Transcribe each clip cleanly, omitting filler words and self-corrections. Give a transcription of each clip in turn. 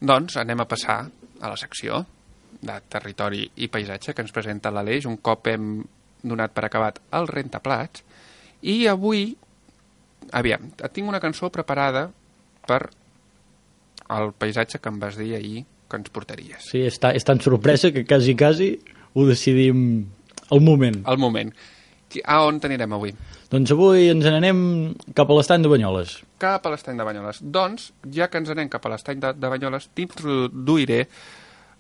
Doncs anem a passar a la secció de territori i paisatge que ens presenta l'Aleix, un cop hem donat per acabat el rentaplats, i avui, aviam, tinc una cançó preparada per el paisatge que em vas dir ahir que ens portaries. Sí, és tan sorpresa que quasi ho decidim al moment. Al moment. A on t'anirem avui? Doncs avui ens n'anem cap a l'estany de Banyoles. Cap a l'estany de Banyoles. Doncs, ja que ens anem cap a l'estany de Banyoles, t'introduiré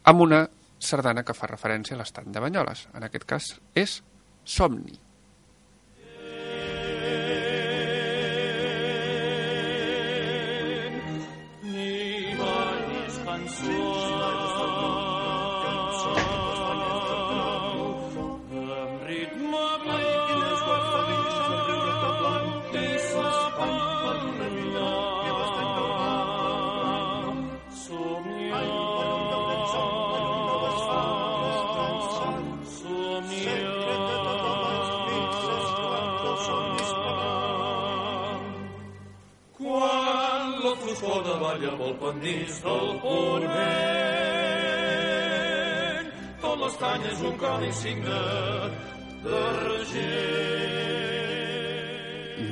amb una sardana que fa referència a l'estany de Banyoles. En aquest cas és Somni. Balla pel pendís del ponent, tot l'estany és un codi signe d'argent.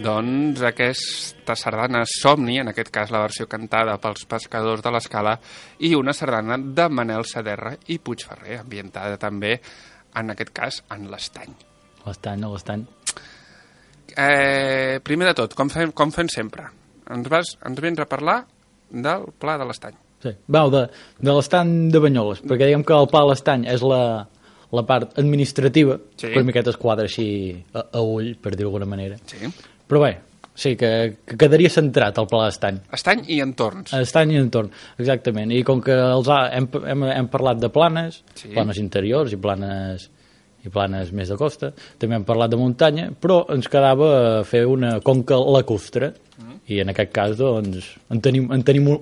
Doncs aquesta sardana Somni, en aquest cas la versió cantada pels pescadors de l'Escala, i una sardana de Manel Saderra i Puigferrer, ambientada també, en aquest cas, en l'estany. L'estany. Primer de tot, com fem sempre, ens vens a parlar del Pla de l'Estany. Sí, de l'estany de Banyoles, perquè diguem que el Pla de l'Estany és la part administrativa, sí. Per miqueta es quadra així a ull, per dir-ho d'alguna manera. Sí. Però bé, sí, que quedaria centrat el Pla d'Estany. Estany i entorns. Estany i entorn, exactament. I com que hem parlat de planes, sí. Planes interiors i planes més de costa, també hem parlat de muntanya, però ens quedava fer una conca lacustre, i en aquest cas doncs, en tenim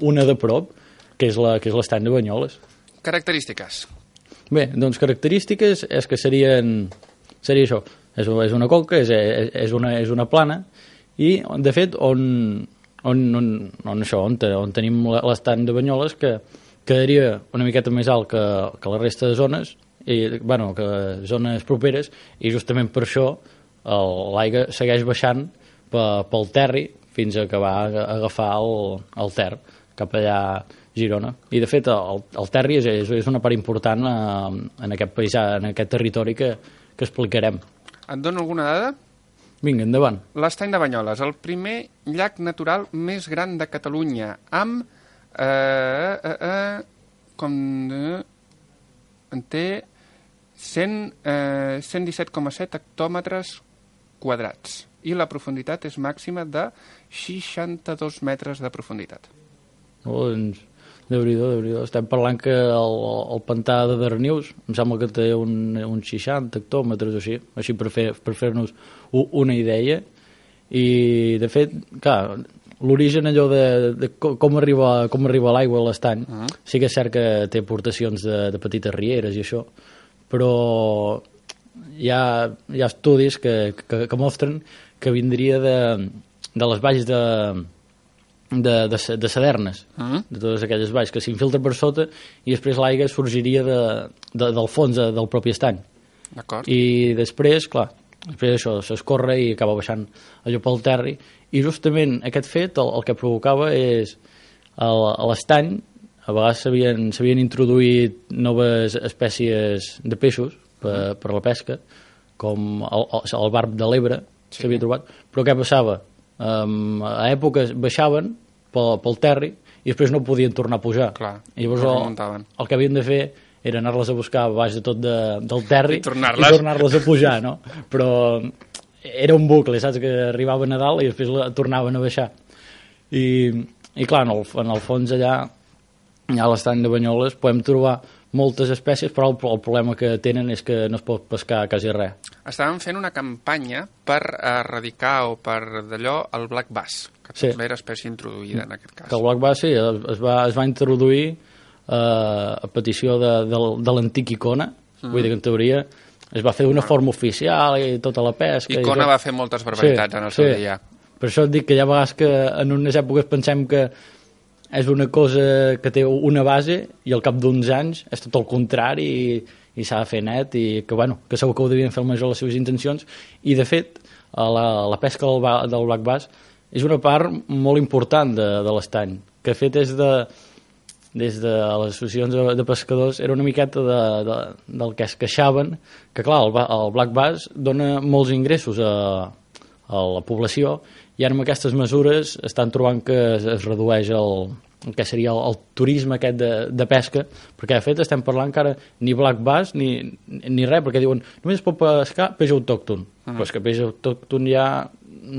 una de prop, que és l'estany de Banyoles. Característiques. Bé, doncs característiques és que seria això, és una conca, és una plana, i de fet on tenim l'estany de Banyoles, que quedaria una miqueta més alt que la resta de zones, que zones properes, i justament per això l'aigua segueix baixant pel terri fins a acabar a agafar el Ter cap allà a Girona. I de fet el terri és una part important en aquest paisà, en aquest territori que explicarem. Et dono alguna dada? Vinga, endavant. L'estany de Banyoles, el primer llac natural més gran de Catalunya, amb en té 117,7 hectòmetres quadrats i la profunditat és màxima de 62 metres de profunditat. Doncs, Déu-n'hi-do. Estem parlant que el pantà de Darnius em sembla que té uns 60 hectòmetres o així per fer-nos una idea. I de fet, clar, l'origen allò de com arriba l'aigua a l'estany, sí que és cert que té aportacions de petites rieres i això, però hi ha estudis que mostren que vindria de les valls de Sadernes, de totes aquelles valls que s'infiltra per sota i després l'aigua sorgiria del fons del propi estany. D'acord. I després, clar, després això s'escorre i acaba baixant allò pel terri, i justament aquest fet el que provocava és a l'estany a vegades s'havien introduït noves espècies de peixos per la pesca, com el barb de l'Ebre, s'havia trobat, però què passava? A èpoques baixaven pel terri i després no podien tornar a pujar. Clar, i llavors el que havien de fer era anar-les a buscar baix de tot del terri i tornar-les a pujar, no? Però era un bucle, saps? Que arribaven a dalt i després tornaven a baixar. I clar, en el fons allà a l'estany de Banyoles podem trobar moltes espècies, però el problema que tenen és que no es pot pescar quasi res. Estàvem fent una campanya per erradicar o per d'allò el black bass, que també era espècie introduïda en aquest cas. Que el black bass, sí, es va introduir a petició de l'antic Icona, vull dir que en teoria es va fer d'una forma oficial i tota la pesca. Icona va fer moltes barbaritats en el seu dia. Per això et dic que hi ha vegades que en unes èpoques pensem que és una cosa que té una base i al cap d'uns anys és tot el contrari i s'ha de fer net i que, bueno, que segur que ho devien fer el major les seves intencions i, de fet, la pesca del black bass és una part molt important de l'estany, que, de fet, des de les associacions de pescadors era una miqueta del que es queixaven, que, clar, el black bass dona molts ingressos a la població i ara amb aquestes mesures estan trobant que es redueix el que seria el turisme aquest de pesca, perquè de fet estem parlant que ara ni black bass ni res, perquè diuen només es pot pescar peix autòcton, però és que peix autòcton hi ha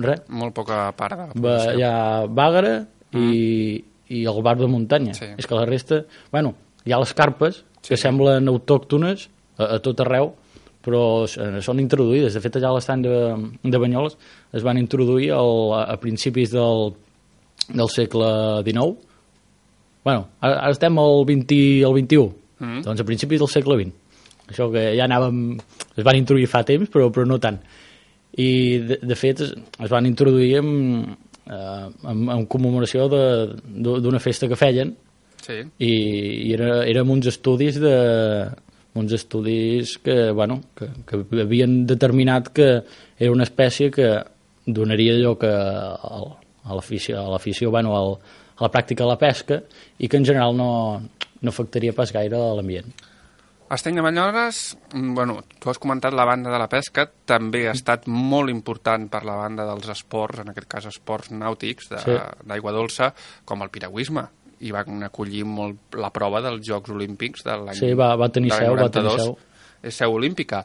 res. Molt poca part de la població. Hi ha bàgara i el bar de muntanya. Sí. És que la resta... Bueno, hi ha les carpes, que semblen autòctones a tot arreu, però són introduïdes. De fet, allà a l'estany de Banyoles es van introduir a principis del segle XIX. Bueno, ara estem al 21, doncs a principis del segle XX. Això que ja es van introduir fa temps, però no tant. I, de fet, es van introduir en commemoració d'una festa que feien i era amb uns estudis que, bueno, que havien determinat que era una espècie que donaria lloc a l'afició, bueno, a la pràctica de la pesca i que en general no afectaria pas gaire a l'ambient. Estany de Banyoles, bueno, tu has comentat la banda de la pesca, també ha estat molt important per la banda dels esports, en aquest cas esports nàutics d'aigua dolça, com el piragüisme, i van acollir molt la prova dels Jocs Olímpics de l'any 92. Sí, va tenir seu. És seu olímpica.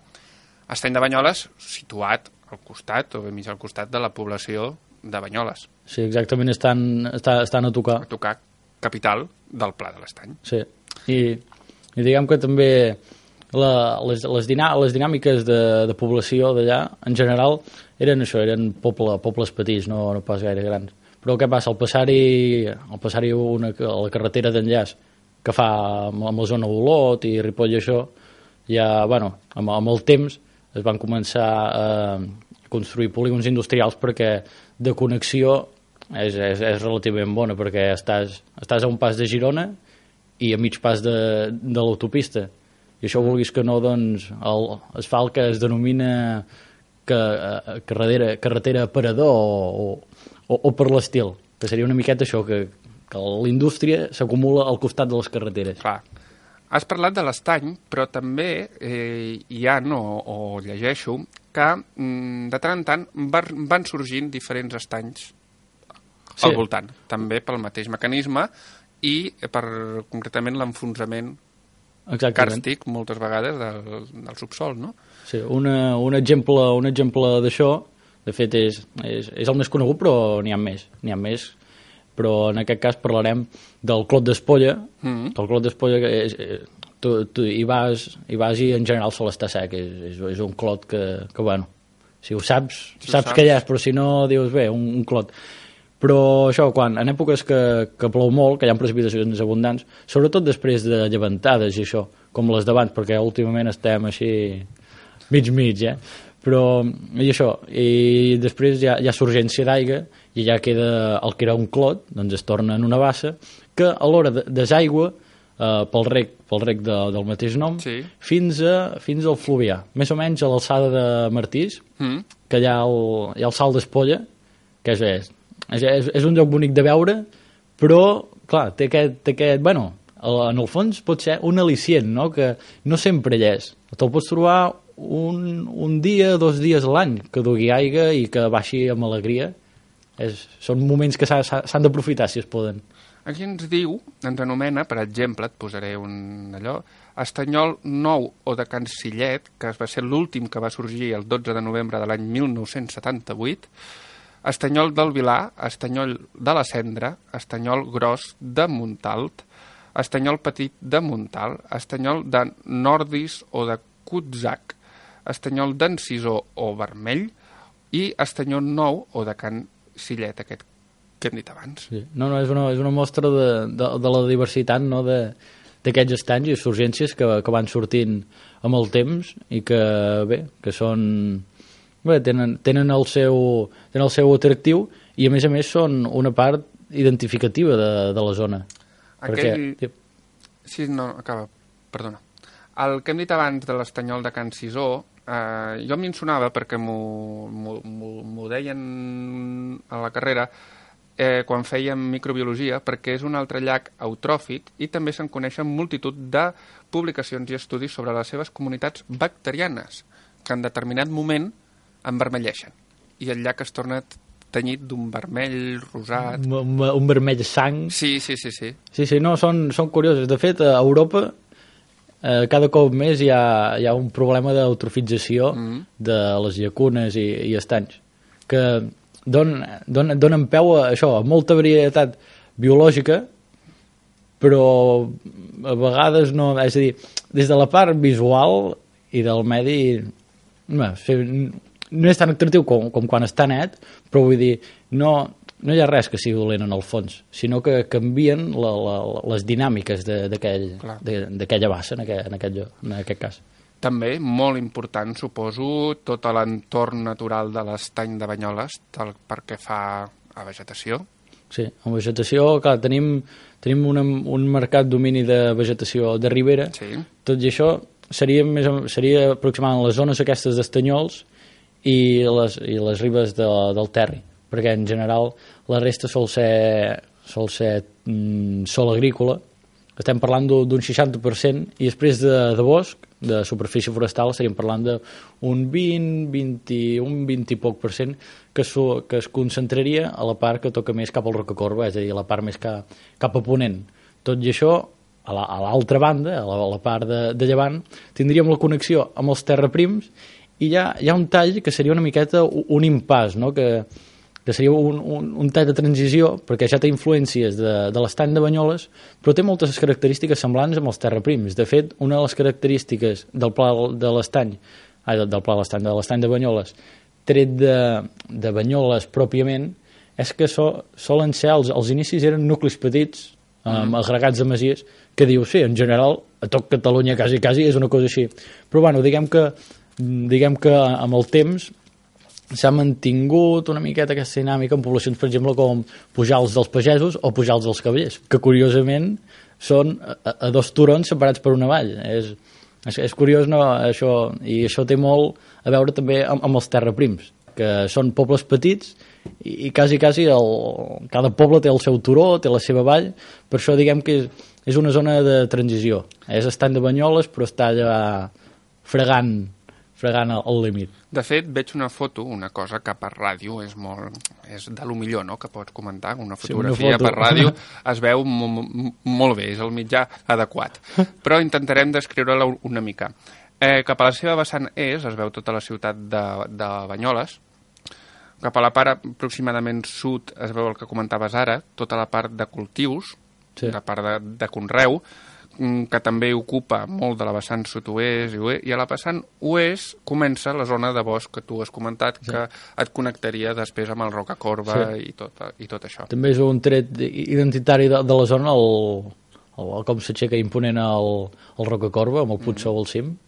Estany de Banyoles, situat al costat, o mig al costat de la població de Banyoles. Sí, exactament, estan a tocar. A tocar capital del Pla de l'Estany. Sí, i diguem que també les dinàmiques de població d'allà, en general, eren pobles petits, no pas gaire grans. Però què passa? Al passar-hi la carretera d'enllaç que fa amb la zona d'Olot i Ripoll i això, ja, bueno, amb el temps es van començar a construir polígons industrials perquè de connexió és relativament bona, perquè estàs a un pas de Girona i a mig pas de l'autopista. I això, vulguis que no, doncs, l'asfalt que es denomina carretera aparador o per l'estil, que seria una miqueta això, que la indústria s'acumula al costat de les carreteres. Clar. Has parlat de l'estany, però també hi ha, o llegeixo, que de tant en tant van sorgint diferents estanys al voltant, també pel mateix mecanisme i per concretament l'enfonsament càrstic moltes vegades del subsol, no? Sí, un exemple d'això, de fet, és el més conegut, però n'hi ha més. Però en aquest cas parlarem del Clot d'Espolla. El Clot d'Espolla, tu hi vas i en general sol estar sec. És un clot que bueno, si ho saps que hi és, però si no dius bé, un clot. Però això, en èpoques que plou molt, que hi ha precipitacions abundants, sobretot després de llevantades i això, com les d'abans, perquè últimament estem així mig, però i després hi ha surgència d'aigua i ja queda el que era un clot, doncs es torna en una bassa que a l'hora desaigua pel rec del mateix nom fins al Fluvià, més o menys a l'alçada de Martís, que hi ha el Salt d'Espolla, que és un lloc bonic de veure, però clar, té aquest bueno, en el fons pot ser un al·licient, no? Que no sempre hi és, te'l pots trobar un dia, 2 dies a l'any que dugui aigua i que baixi amb alegria. Són moments que s'han d'aprofitar si es poden. Aquí ens anomena, per exemple, et posaré un allò, Estanyol Nou o de Can Sillet, que va ser l'últim que va sorgir el 12 de novembre de l'any 1978, Estanyol del Vilar, Estanyol de la Cendra, Estanyol Gros de Montalt, Estanyol Petit de Montal, Estanyol de Nordis o de Cutzac, Estanyol d'Encisó o Vermell i Estanyol Nou o de Can Sillet, aquest que hem dit abans. Sí. No, és una mostra de la diversitat, no, d'aquests estanys i surgències que van sortint amb el temps i que són... Bé, tenen el seu atractiu i a més són una part identificativa de la zona. Aquell... Perquè, Sí, no, acaba, perdona. El que hem dit abans de l'estanyol de Can Cisó, jo m'hi sonava perquè m'ho deien a la carrera quan fèiem microbiologia, perquè és un altre llac eutròfic i també se'n coneixen multitud de publicacions i estudis sobre les seves comunitats bacterianes, que en determinat moment envermelleixen. I el llac es torna tenyit d'un vermell rosat. un vermell sang. Sí. Sí, no, són curiosos. De fet, a Europa cada cop més hi ha un problema d'eutrofització de les llacunes i estanys, que donen peu a això, a molta varietat biològica, però a vegades no... És a dir, des de la part visual i del medi no és tan atractiu com quan està net, però vull dir, no hi ha res que sigui dolent en el fons, sinó que canvien les dinàmiques d'aquella bassa en aquest cas. També, molt important, suposo, tot l'entorn natural de l'estany de Banyoles, pel que fa a vegetació. Sí, en vegetació, clar, tenim un marcat domini de vegetació de ribera, Sí. tot i això seria aproximadament les zones aquestes d'estanyols i les ribes del Terri, perquè en general la resta sol ser sol agrícola. Estem parlant d'un 60% i després de bosc, de superfície forestal, estaríem parlant d'un 20 i poc % que es concentraria a la part que toca més cap al Rocacorba, és a dir, a la part més cap a ponent. Tot i això, a l'altra banda, a la part de llevant, tindríem la connexió amb els terraprims i hi ha un tall que seria una miqueta un impàs, no? que seria un tall de transició, perquè ja té influències de l'estany de Banyoles, però té moltes característiques semblants amb els terraprims. De fet, una de les característiques del pla de l'estany, de l'estany de Banyoles, tret de Banyoles pròpiament, és que solen ser, als inicis eren nuclis petits, agregats de masies, que diu, sí, en general, a tot Catalunya quasi és una cosa així. Però bueno, diguem que amb el temps s'ha mantingut una miqueta aquesta dinàmica en poblacions, per exemple, com Pujals dels Pagesos o Pujals dels Cavallers, que curiosament són a dos turons separats per una vall. És curiós, no, això, i això té molt a veure també amb els terraprims, que són pobles petits i quasi cada poble té el seu turó, té la seva vall, per això diguem que és una zona de transició. És estany de Banyoles, però està allà fregant el límit. De fet, veig una foto, una cosa que per ràdio és de lo millor, no?, que pots comentar. Una fotografia per ràdio es veu molt bé, és el mitjà adequat. Però intentarem descriure-la una mica. Cap a la seva vessant es veu tota la ciutat de Banyoles. Cap a la part aproximadament sud es veu el que comentaves ara, tota la part de cultius, sí, la part de conreu, que també ocupa molt de la vessant sud-oest i a la vessant oest comença la zona de bosc que tu has comentat, sí, que et connectaria després amb el Rocacorba, sí, i tot això. També és un tret identitari de la zona com s'aixeca imponent el Rocacorba amb el Puig Sou al cim.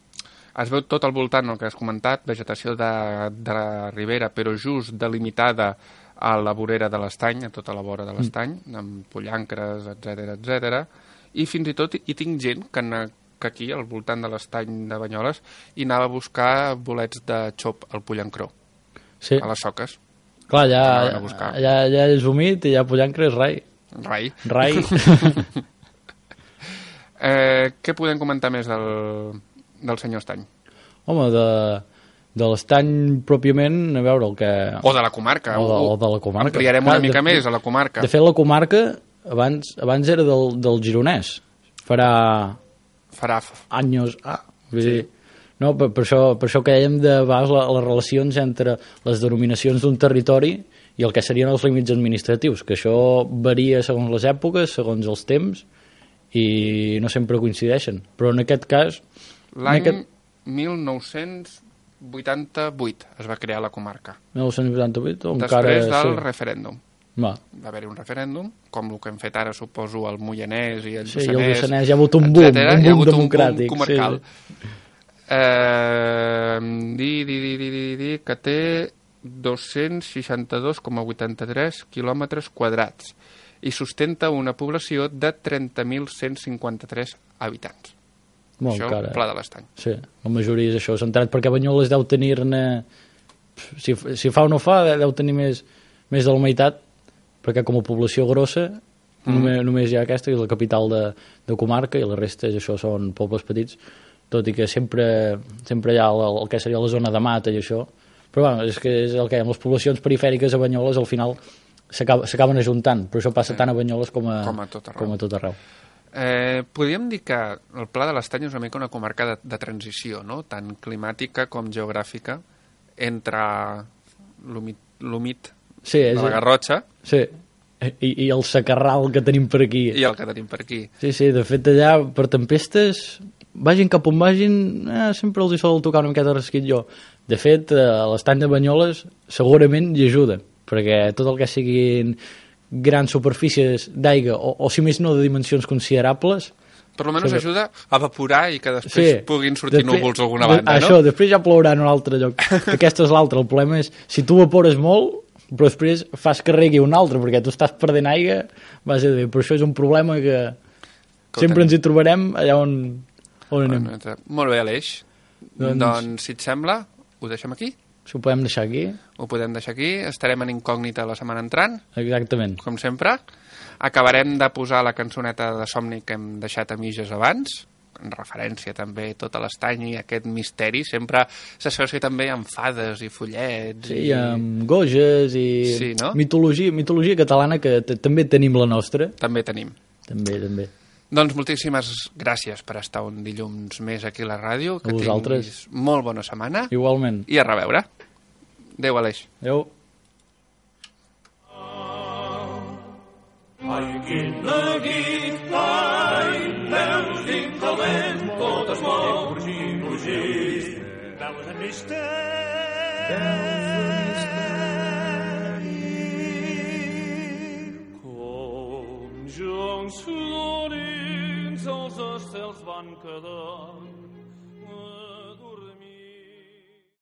Es veu tot al voltant, el que has comentat, vegetació de la ribera, però just delimitada a la vorera de l'estany, a tota la vora de l'estany, amb pollancres, etc. I fins i tot hi tinc gent que aquí, al voltant de l'estany de Banyoles, hi anava a buscar bolets de xop al pollancró, sí, a les soques. Clar, ja és humit i ja pollancre és rai. Què podem comentar més del senyor Estany? Home, de l'estany pròpiament, a veure el que... O de la comarca. O de la comarca. Ampliarem una mica més a la comarca. De fet, la comarca abans era del gironès. Farà anys... Vull dir, no, per això que dèiem de vegades les relacions entre les denominacions d'un territori i el que serien els límits administratius, que això varia segons les èpoques, segons els temps, i no sempre coincideixen. Però en aquest cas... L'any 1988 es va crear la comarca. 1988? Després del referèndum. Va haver-hi un referèndum, com el que hem fet ara, suposo, el Moianès i el Lluçanès. Sí, el Lluçanès hi ha hagut un boom democràtic. Un boom comarcal. Sí. Que té 262,83 quilòmetres quadrats i sustenta una població de 30.153 habitants. Molt Això, cara. Pla de l'Estany. Sí, la majoria és això. Centrat perquè Banyoles deu tenir-ne... Si fa o no fa, deu tenir més de la meitat, perquè com a població grossa només hi ha aquesta, que és la capital de comarca, i la resta és això, són pobles petits, tot i que sempre hi ha el que seria la zona de mata i això. Però bueno, és que és el que hi ha, les poblacions perifèriques a Banyoles al final s'acaben ajuntant, però això passa tant a Banyoles com a tot arreu. Podríem dir que el Pla de l'Estany és una mica una comarca de transició, no? Tant climàtica com geogràfica, entre l'humit de la Garrotxa, sí, i el secarral que tenim per aquí. I el que tenim per aquí. Sí, de fet allà per tempestes, vagin cap on vagin, sempre els hi sol tocar una miqueta rasquit jo. De fet, l'estany de Banyoles segurament hi ajuda, perquè tot el que siguin grans superfícies d'aigua, o si més no de dimensions considerables... Per almenys ajuda a evaporar i que després puguin sortir núvols a alguna banda, no? Això, després ja plourà en un altre lloc. Aquesta és l'altra. El problema és, si tu evapores molt, però després fas que regui un altre, perquè tu estàs perdent aigua, vas a dir, però això és un problema que sempre ens hi trobarem allà on anem. Molt bé, Aleix. Doncs, si et sembla, ho deixem aquí? Si ho podem deixar aquí. Ho podem deixar aquí. Estarem en incògnita la setmana entrant. Exactament. Com sempre. Acabarem de posar la cançoneta de Somni que hem deixat a mitges abans, en referència també a tot l'estany i aquest misteri. Sempre s'associa també amb fades i follets. Sí, i amb goges i sí, no? mitologia catalana, que també tenim la nostra. També tenim. També. Doncs moltíssimes gràcies per estar un dilluns més aquí a la ràdio. Que tinguis molt bona setmana. Igualment. I a reveure. Adéu, Aleix. Adéu. Ai, quina guita, veus dins del vent, tot es mou, fugir. Veus en misteri, com joncs florins els estels van quedar.